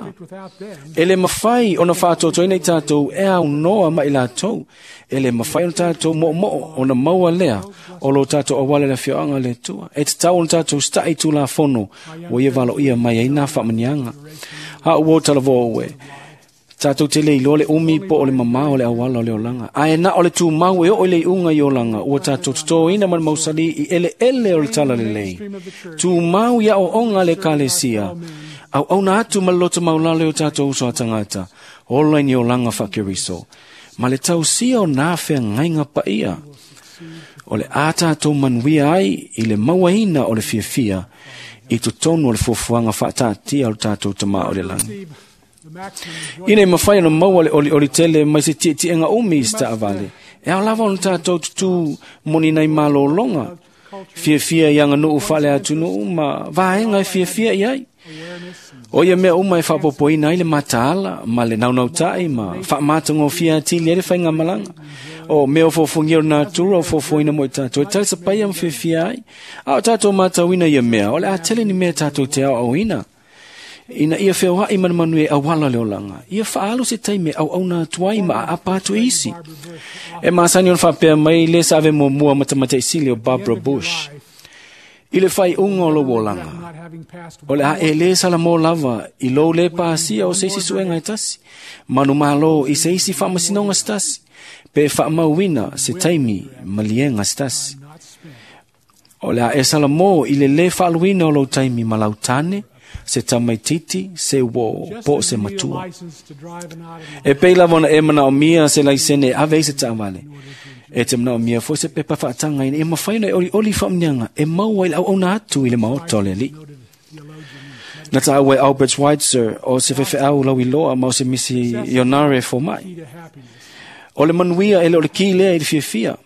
D: E le mawhai ona whaatoto ina i tātou e au noa mai lātou. E le mawhai ona tātou mo mo ona maua lea o lo tātou awale le fioanga le tua. E te tau ona tātou stai tū la fono o ia valo ia mai ai nā whaamanianga. Ha ua talavoa ue. Tātou te le iloa le umi po o le mamā o le awala o le olanga. Ae na o le tū mau e o le unga i olanga. Ua tātou tutoina ma le mausali i ele ele o le tala lelei. Tū mau ia o onga le kalesia. Au au na atu ma loto maulale o tātou uso a tangata. Ola ni olanga whakeriso. Ma le tausia o nā whea ngainga paia. O le a tātou manuia ai i le mauaina o le fiafia. I totonu o le fuafuaga whaatatia o le tātou tama o le langi. Ina i mawhai ona maua le oli oli tele mai se tietienga umi i sita avale. E au lava ona tātou tutu moni nei malolonga. Fiafia i anga nuu whale atu nuu ma vaenga e fiafia i ai. O ia mea uma e whaapopoina ai le mataala, ma le naunautai, ma whaamatango fia atili ai le whainga malanga. O mea o fōfungia o natura o fōfuina mo i tātou. E tali sapaia ma fiafia ai. A o tātou mātauina ia mea, o le atele ni mea tātou te au auina. Ina ia wheoai manumanu e awala le olanga. Ia whaalu se taime au au nā tuai ma a apa atu isi. E maasani ona whapea mai le sa ave mua matamata isili o Barbara Bush. I le whai unga o lo olanga. O le a e le sala mō lava i lou le pāsia o seisi suenga e tasi. Manu malo i seisi whaamasinonga se tasi. Pe whaamauina se taimi malienga se tasi. O le a e sala mō i le le whaaluina o lou taimi malau tane, se tamaititi, se wo, po se matua. E pei lava ona e mana o mia se laisene e ave i se taavale. E te mana o mia foi se pepa whaatanga ina e mawhaina e oli oli whaamnianga e maua i le au auna atu i le maota o le alii. Na tā ue Albert Schweitzer o se whewheau lau iloa ma o se misi ionare fo mai. O le manuia e le o le ki lea i le fiafia.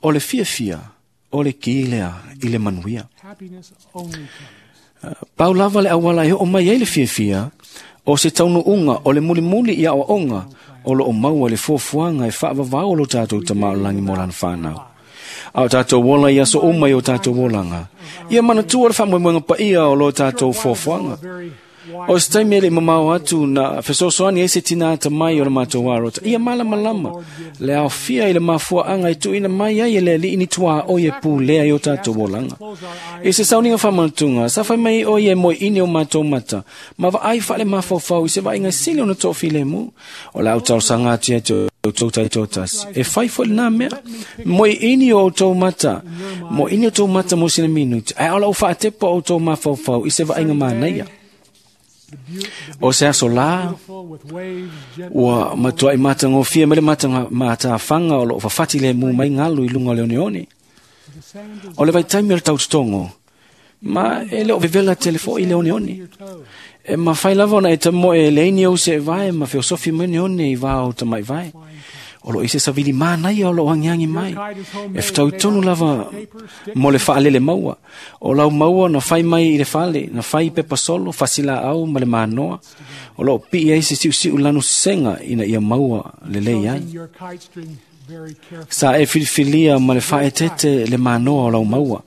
D: O le fiafia o le ki lea i le manuia. Pau lava le awala e o mai ai le fiafia, o se taunu unga, o le mulimuli i awa onga, o lo o maua le fuafuaga e faavavao o lo tatou tamaolangi mo lana fanau. A o tatou ola i aso uma i o tatou olaga. Ia manatua le faamoemoega paia o lo tatou fuafuaga. O se taimi e le mamao atu na fesoasoani ai se tina ata mai o le matou arota. Ia malamalama le aofia i le mafuaaga e tuuina mai ai e le alii ni tuaoi e pulea i o tatou olaga. I se sauniga faamanatuga, sa fai mai o ia e moeini o matou mata, ma vaai faale mafaufau i se vaaiga sili ona toafilemu. O le autalosaga atu ia te outou taitoatasi. E fai foi lenā mea. Moeini o outou mata. Moeini o outou mata mo sina minuti. Ae o lau faatepa o outou mafaufau i se vaaiga manaia. O se aso la, ua matuai matagofie mai le matafanga o loo fafati le mu mai galu i luga o le oneone. O le vaitaimi o le tautotogo, ma e le o vevela tele foʻi le oneone. E mafai lava ona e tamoe e leini ou se vae ma feosofi mai oneone i vā o tamaʻi vae. O loo i se savili manaia o loo agiagi mai. E fetaui lava mo le faalele maua. O lau maua na fai mai i le fale, na fai pepa solo, fasilaau ma le manoa. O loo pii ai se siusiu lanu sesega ina ia maua lelei ai. Sa e filifilia ma le faaetete le manoa o lau maua.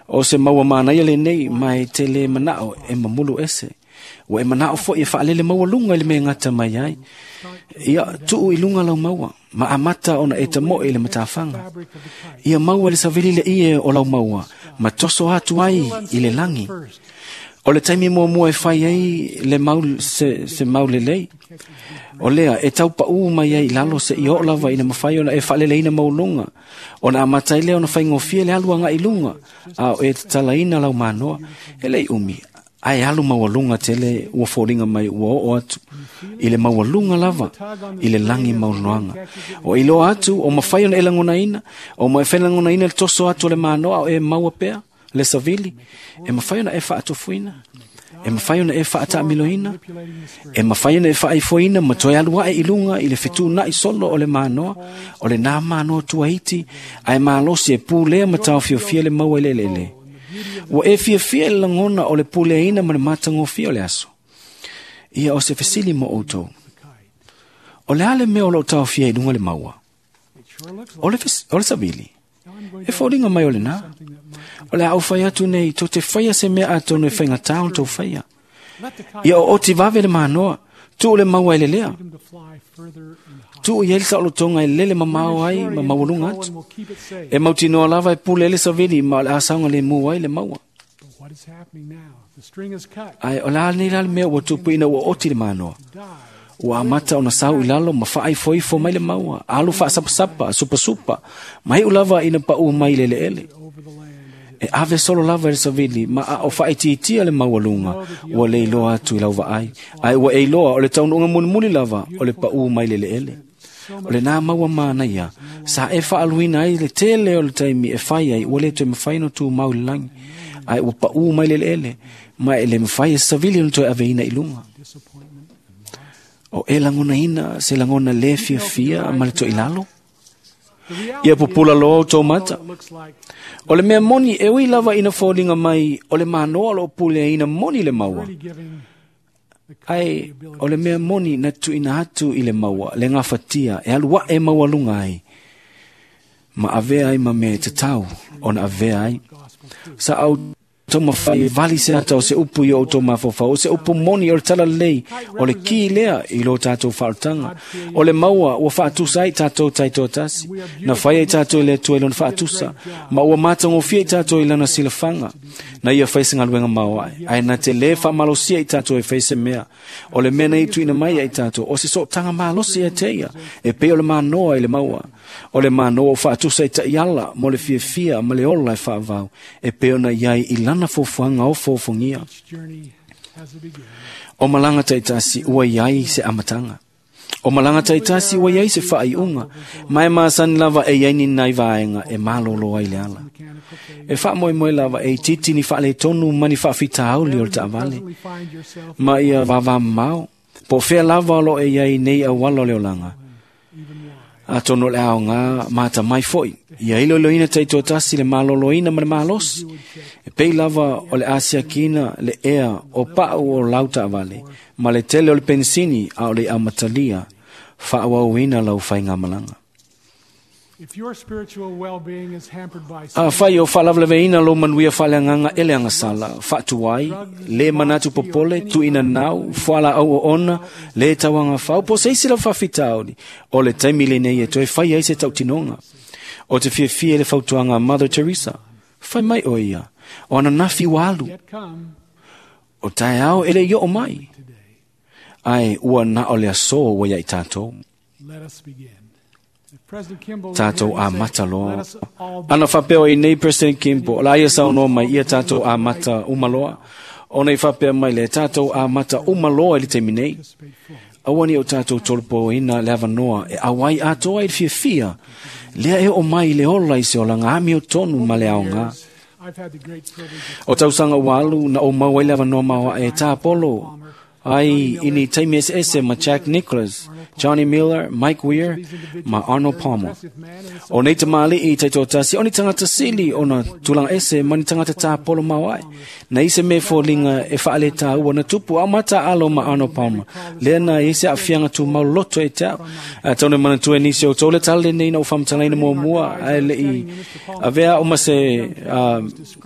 D: O se maua manaia lenei ma e tele manao e mamulu ese. Ua e manao foi e faalele maua lunga i le mea gata mai ai. Ia tuu i lunga lau maua, ma amata ona e tamoe i le matafaga. Ia maua le savili le ie o lau maua, ma toso atu ai i le lagi. O le taimi muamua e fai ai le mau, se mau lelei. O lea, e taupaū mai ai i lalo se i oo lava ina mafai ona e faaleleina mauluga. Ona amata ai lea ona faigofie le alu agaʻi luga, a o e tatalaina lau manoa. E lei umi, ae alu maualuga tele ua foliga mai ua oo atu i le maualuga lava i le lagi maunoaga. O iloa atu o mafai ona e lagonaina, o ma e failagonaina le toso atu o le manoa o e maua pea le savili, e mafai ona e faatofuina. E mafai ona e faataamiloina, e mafai ona e faaifoina ma toe alu ae i luga i le fetuunai solo o le manoa, o le nā manoa tuaiti, ae malosi e pulea ma taofiofia le maua i le eleele. Ua e fiafia i le lagona o le puleaina ma le matagofie o le aso. Ia o se fesili mo outou. O le a le mea o loo taofia i luga le maua? O le savili. E foliga mai o lena. O le a ou fai atu nei, tou te faia se mea atonu e faigata ona tou faia. Ia o oti vave le manoa, tuu le maua i le lea. Tuu i ai le saolotoga e lele mamao ai ma maualuga atu. E mautinoa lava e pule ai le savili ma o le a saogalemu ai le maua. Ae o le a nei la le mea ua tupu ina ua oti le manoa. Ua amata ona sau i lalo ma faaifoifo mai le maua, alu faasapasapa, supasupa, ma iu lava ina paʻu mai i le eleele. E ave solo lava e le savili ma a o faaitiitia le maualuga ua le iloa atu i lau vaai, ae ua e iloa o le taunuuga mulimuli lava o le paʻu mai le eleele. O lenā maua manaia, sa e faaluina ai le tele o le taimi e fai ai ua le toe mafai ona tumau i le lagi, ae ua paʻu mai le eleele, ma e le mafai e savili ona toe aveina i luga. O e lagonaina se lagona le fiafia ma le toilalo? Ia pupula loa o tou mata. O le mea moni e ui lava ina foliga mai o le manoa o loo puleaina moni le maua. Ae o le mea moni na tuuina atu i le maua le gafatia e alu ae maualuga ai ma avea ai ma mea e tatau ona avea ai. Sa au taumafai e vali se ata o se upu i o outou mafaufau, o se upu moni o le talalelei, o le ki lea i lo tatou faaolataga. O le maua ua faatusa ai tatou taitoatasi, na fai ai tatou i le Atua i lona faatusa, ma ua matagofie i tatou i lana silafaga. Na ia fai se galuega maoae, ae na te lē faamalosia i tatou e fai se mea. O le mea na ia tuuina mai ai tatou, o se sootaga malosi ia te ia, e pei o le manoa i le maua. O le manoa ua faatusa i taiala mo le fiafia ma le ola e faavau, e pei ona iai i lana fuafuaga o fofogia. O malaga taitasi ua iai se amataga. O malaga taitasi ua iai se faaiuga, ma e masani lava e iai ni nai vaega e malolo ai le ala. E faamoemoe lava e itiiti ni faaletonu ma ni faafitauli o le taavale, ma ia vavamamao, po o fea lava o loo e iai nei auala o le olaga. Atonu o le aoga matamai foi, ia iloiloina taitoatasi le maloloina ma le malosi, e pei lava o le asiakina le ea o pau o lau taavale, ma le tele o le pensini a o le amatalia, faaauauina lau faigamalaga. Afai o faalavelaveina lou manuia faaleagaga e le agasala, faatuai, le manatu popole, tuuina nau, fualaau oona, le tauagafau, po o se isi lava faafitauli, o le taimi lenei e toe fai ai se tautinoga. O te fiafia i le fautuaga a Mother Teresa, fai mai o ia, o ananafi ua alu, o taeao e le i oo mai, ae ua na o le aso ua ia i tatou. Tatou amata loa. Ana faapea o i nei President Kimball, o la ia saunoa mai ia tatou amata uma loa. Ona i faapea mai le tatou amata uma loa i le taimi nei. Aua ne i o tatou tolopoina le avanoa e auai atoa i le fiafia, lea e oo mai i le ola i se olaga amiotonu ma le aoga. O tausaga ua alu na ou maua ai le avanoa maoae e tāpolo ai i ni taimi eseese ma Jack Nicholas, Johnny Miller, Mike Weir ma Arnold Palmer. O nei tamalii taitoatasi, o ni tagata sili ona tulaga ese ma ni tagata tāpolo maoae. Na i se mea foliga e faaletaua na tupu au mataalo ma Arnold Palmer. Lea na i se aafiaga tumau loto e te au. Atonu e manatua e nisi o outou le tala lenei na ou faamatalaina muamua ae lei avea o ma se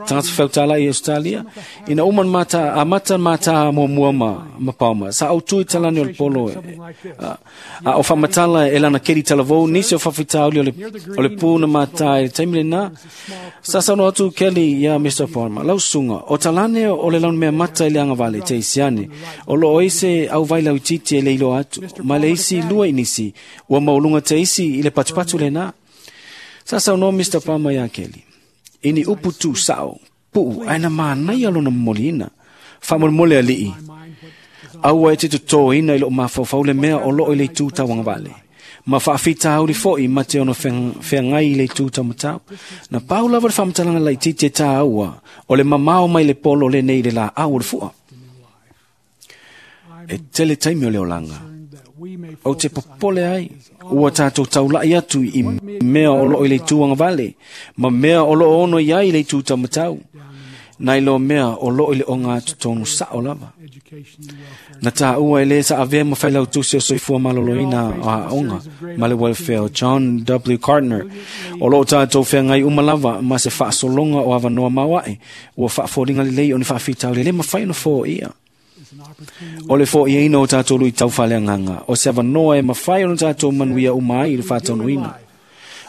D: tagata feutala i Australia. Ina uma amata mataa muamua ma Palmer. Sa au tu i talani o le polo a o faamatala e lana keri talavou nisi o faafitauli o le pu na mataa i le taimi lenā. Sa saunoa atu Kelly ia Mr. Palmer, lau susuga, o talane o le laumea mata i le agavale te isiane, o loo ai se auvai lauitiiti e le iloa atu, ma le isi lua i nisi, ua maualuga te isi i le patupatu lenā. Sa saunoa Mr. Palmer ia Kelly, i ni upu tuusao, puu ae na manaia lona momoliina. Faamolemole alii, aua e te totoina i loo mafaufau le mea o loo i le itu tauagavale, ma faafitauli foi ma te ono feagai i le itu taumatau. Na pau lava le faamatalaga laitiiti e tāua, o le mamao mai le polo lenei i le laau o le fua. E tele taimi o le olaga. Ou te popole ai, ua tātou taulai atu i mea o loo i le itu agavale, ma mea o loo ono i ai i le itu taumatau, nai lo mea o loo i le ogatotonu sao lava. Na tāua e lē sa avea ma failautusi o Soifua Maloloina o Aoga ma le Welfare o John W. Gardner. O loo tātou feagai uma lava ma se faasologa o avanoa maoae, ua faafoliga lelei o ni faafitauli e lē mafai ona foia. O le foiaina o tātou luitau faaleagaga, o se avanoa e mafai ona tātou manuia uma ai i le faataunuuina.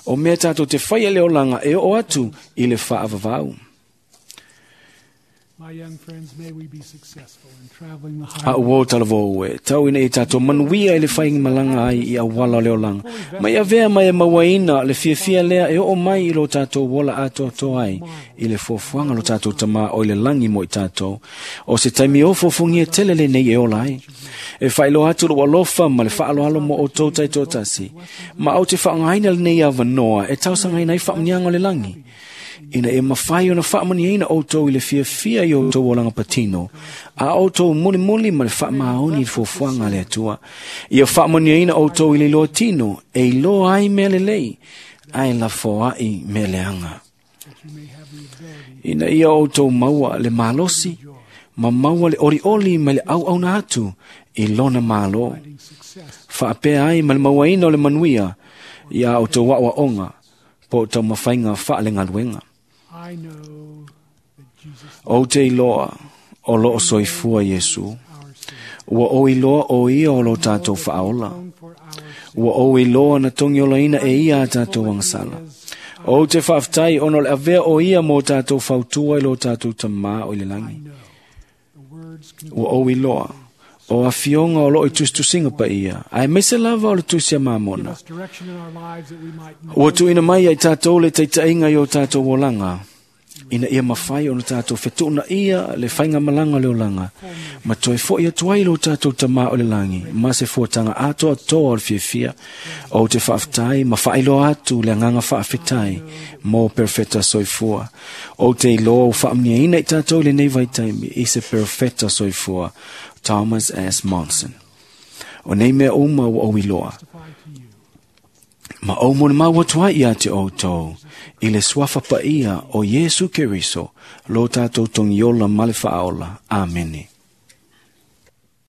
D: O mea tātou te faia le olaga e oo atu i le faavavau.
C: My young friends, may we be successful in traveling the
D: A
C: highway.
D: ua o talavou e, tau ina i tātou manuia i le whainga ai i awala o le olanga. Mai avea mai e mauaina le fiafia lea e oo mai i lo tātou wola atoatoa ai i le fuafuaga lo tātou tamā o i le lagi mo i tātou. O se taimi o fuafuagia tele lenei e ola ai. E whailoa atu lo alofa ma le whaaloalo mo o tau taitoatasi. Ma au te whaangaina lenei avanoa e tausangaina ai whaamanianga o le lagi. Ina e mawhai ona whaamaniaina outou i le fiafia i outou olaga patino, a outou mulimuli ma le faamaoni i le fuafuaga a le Atua. Ia faamaniaina outou i le iloa tino, e iloa ai mea lelei, ae lafoai mea leaga. Ina ia outou maua le malosi, ma maua le olioli ma le auauna atu i lona malo. Faapea ai ma le mauaina o le manuia, ia outou aoaoga, po o taumafaiga faalegaluega.
C: I know that Jesus
D: Ou te iloa o loo soifua Iesu.
C: our Savior.
D: Ua ou iloa o ia o lo tātou faaola.
C: For our
D: Ua ou iloa na togiolaina e ia a tātou agasala. Ou te faafetai ona o le avea o ia mo tātou fautua i lo tātou tamā o i le lagi.
C: the words can
D: Ua ou iloa o afioga o loo i tusitusiga paia, aemaise lava o le tusi a Mamona.
C: us direction in our lives that we might know
D: Ua tuuina mai ai tātou le taitaiga i o tātou olaga, ina ia mafai ona tātou fetuunaia le faigamalaga o le olaga, ma toe fo'i atu ai lo tātou tamā o le lagi, ma se fuataga atoatoa o le fiafia, ou te faafetai ma faailoa atu le agaga faafetai mo perofeta soifua. Ou te iloa ua faamanuiaina i tātou i lenei vaitaimi i se perofeta soifua, Thomas S. Monson. O nei mea uma ua ou iloa,
C: testify to you.
D: ma ou molimau atu ai ia te outou, i le suafa paia o Iesu Keriso, lo tātou togiola ma le faaola. Amene.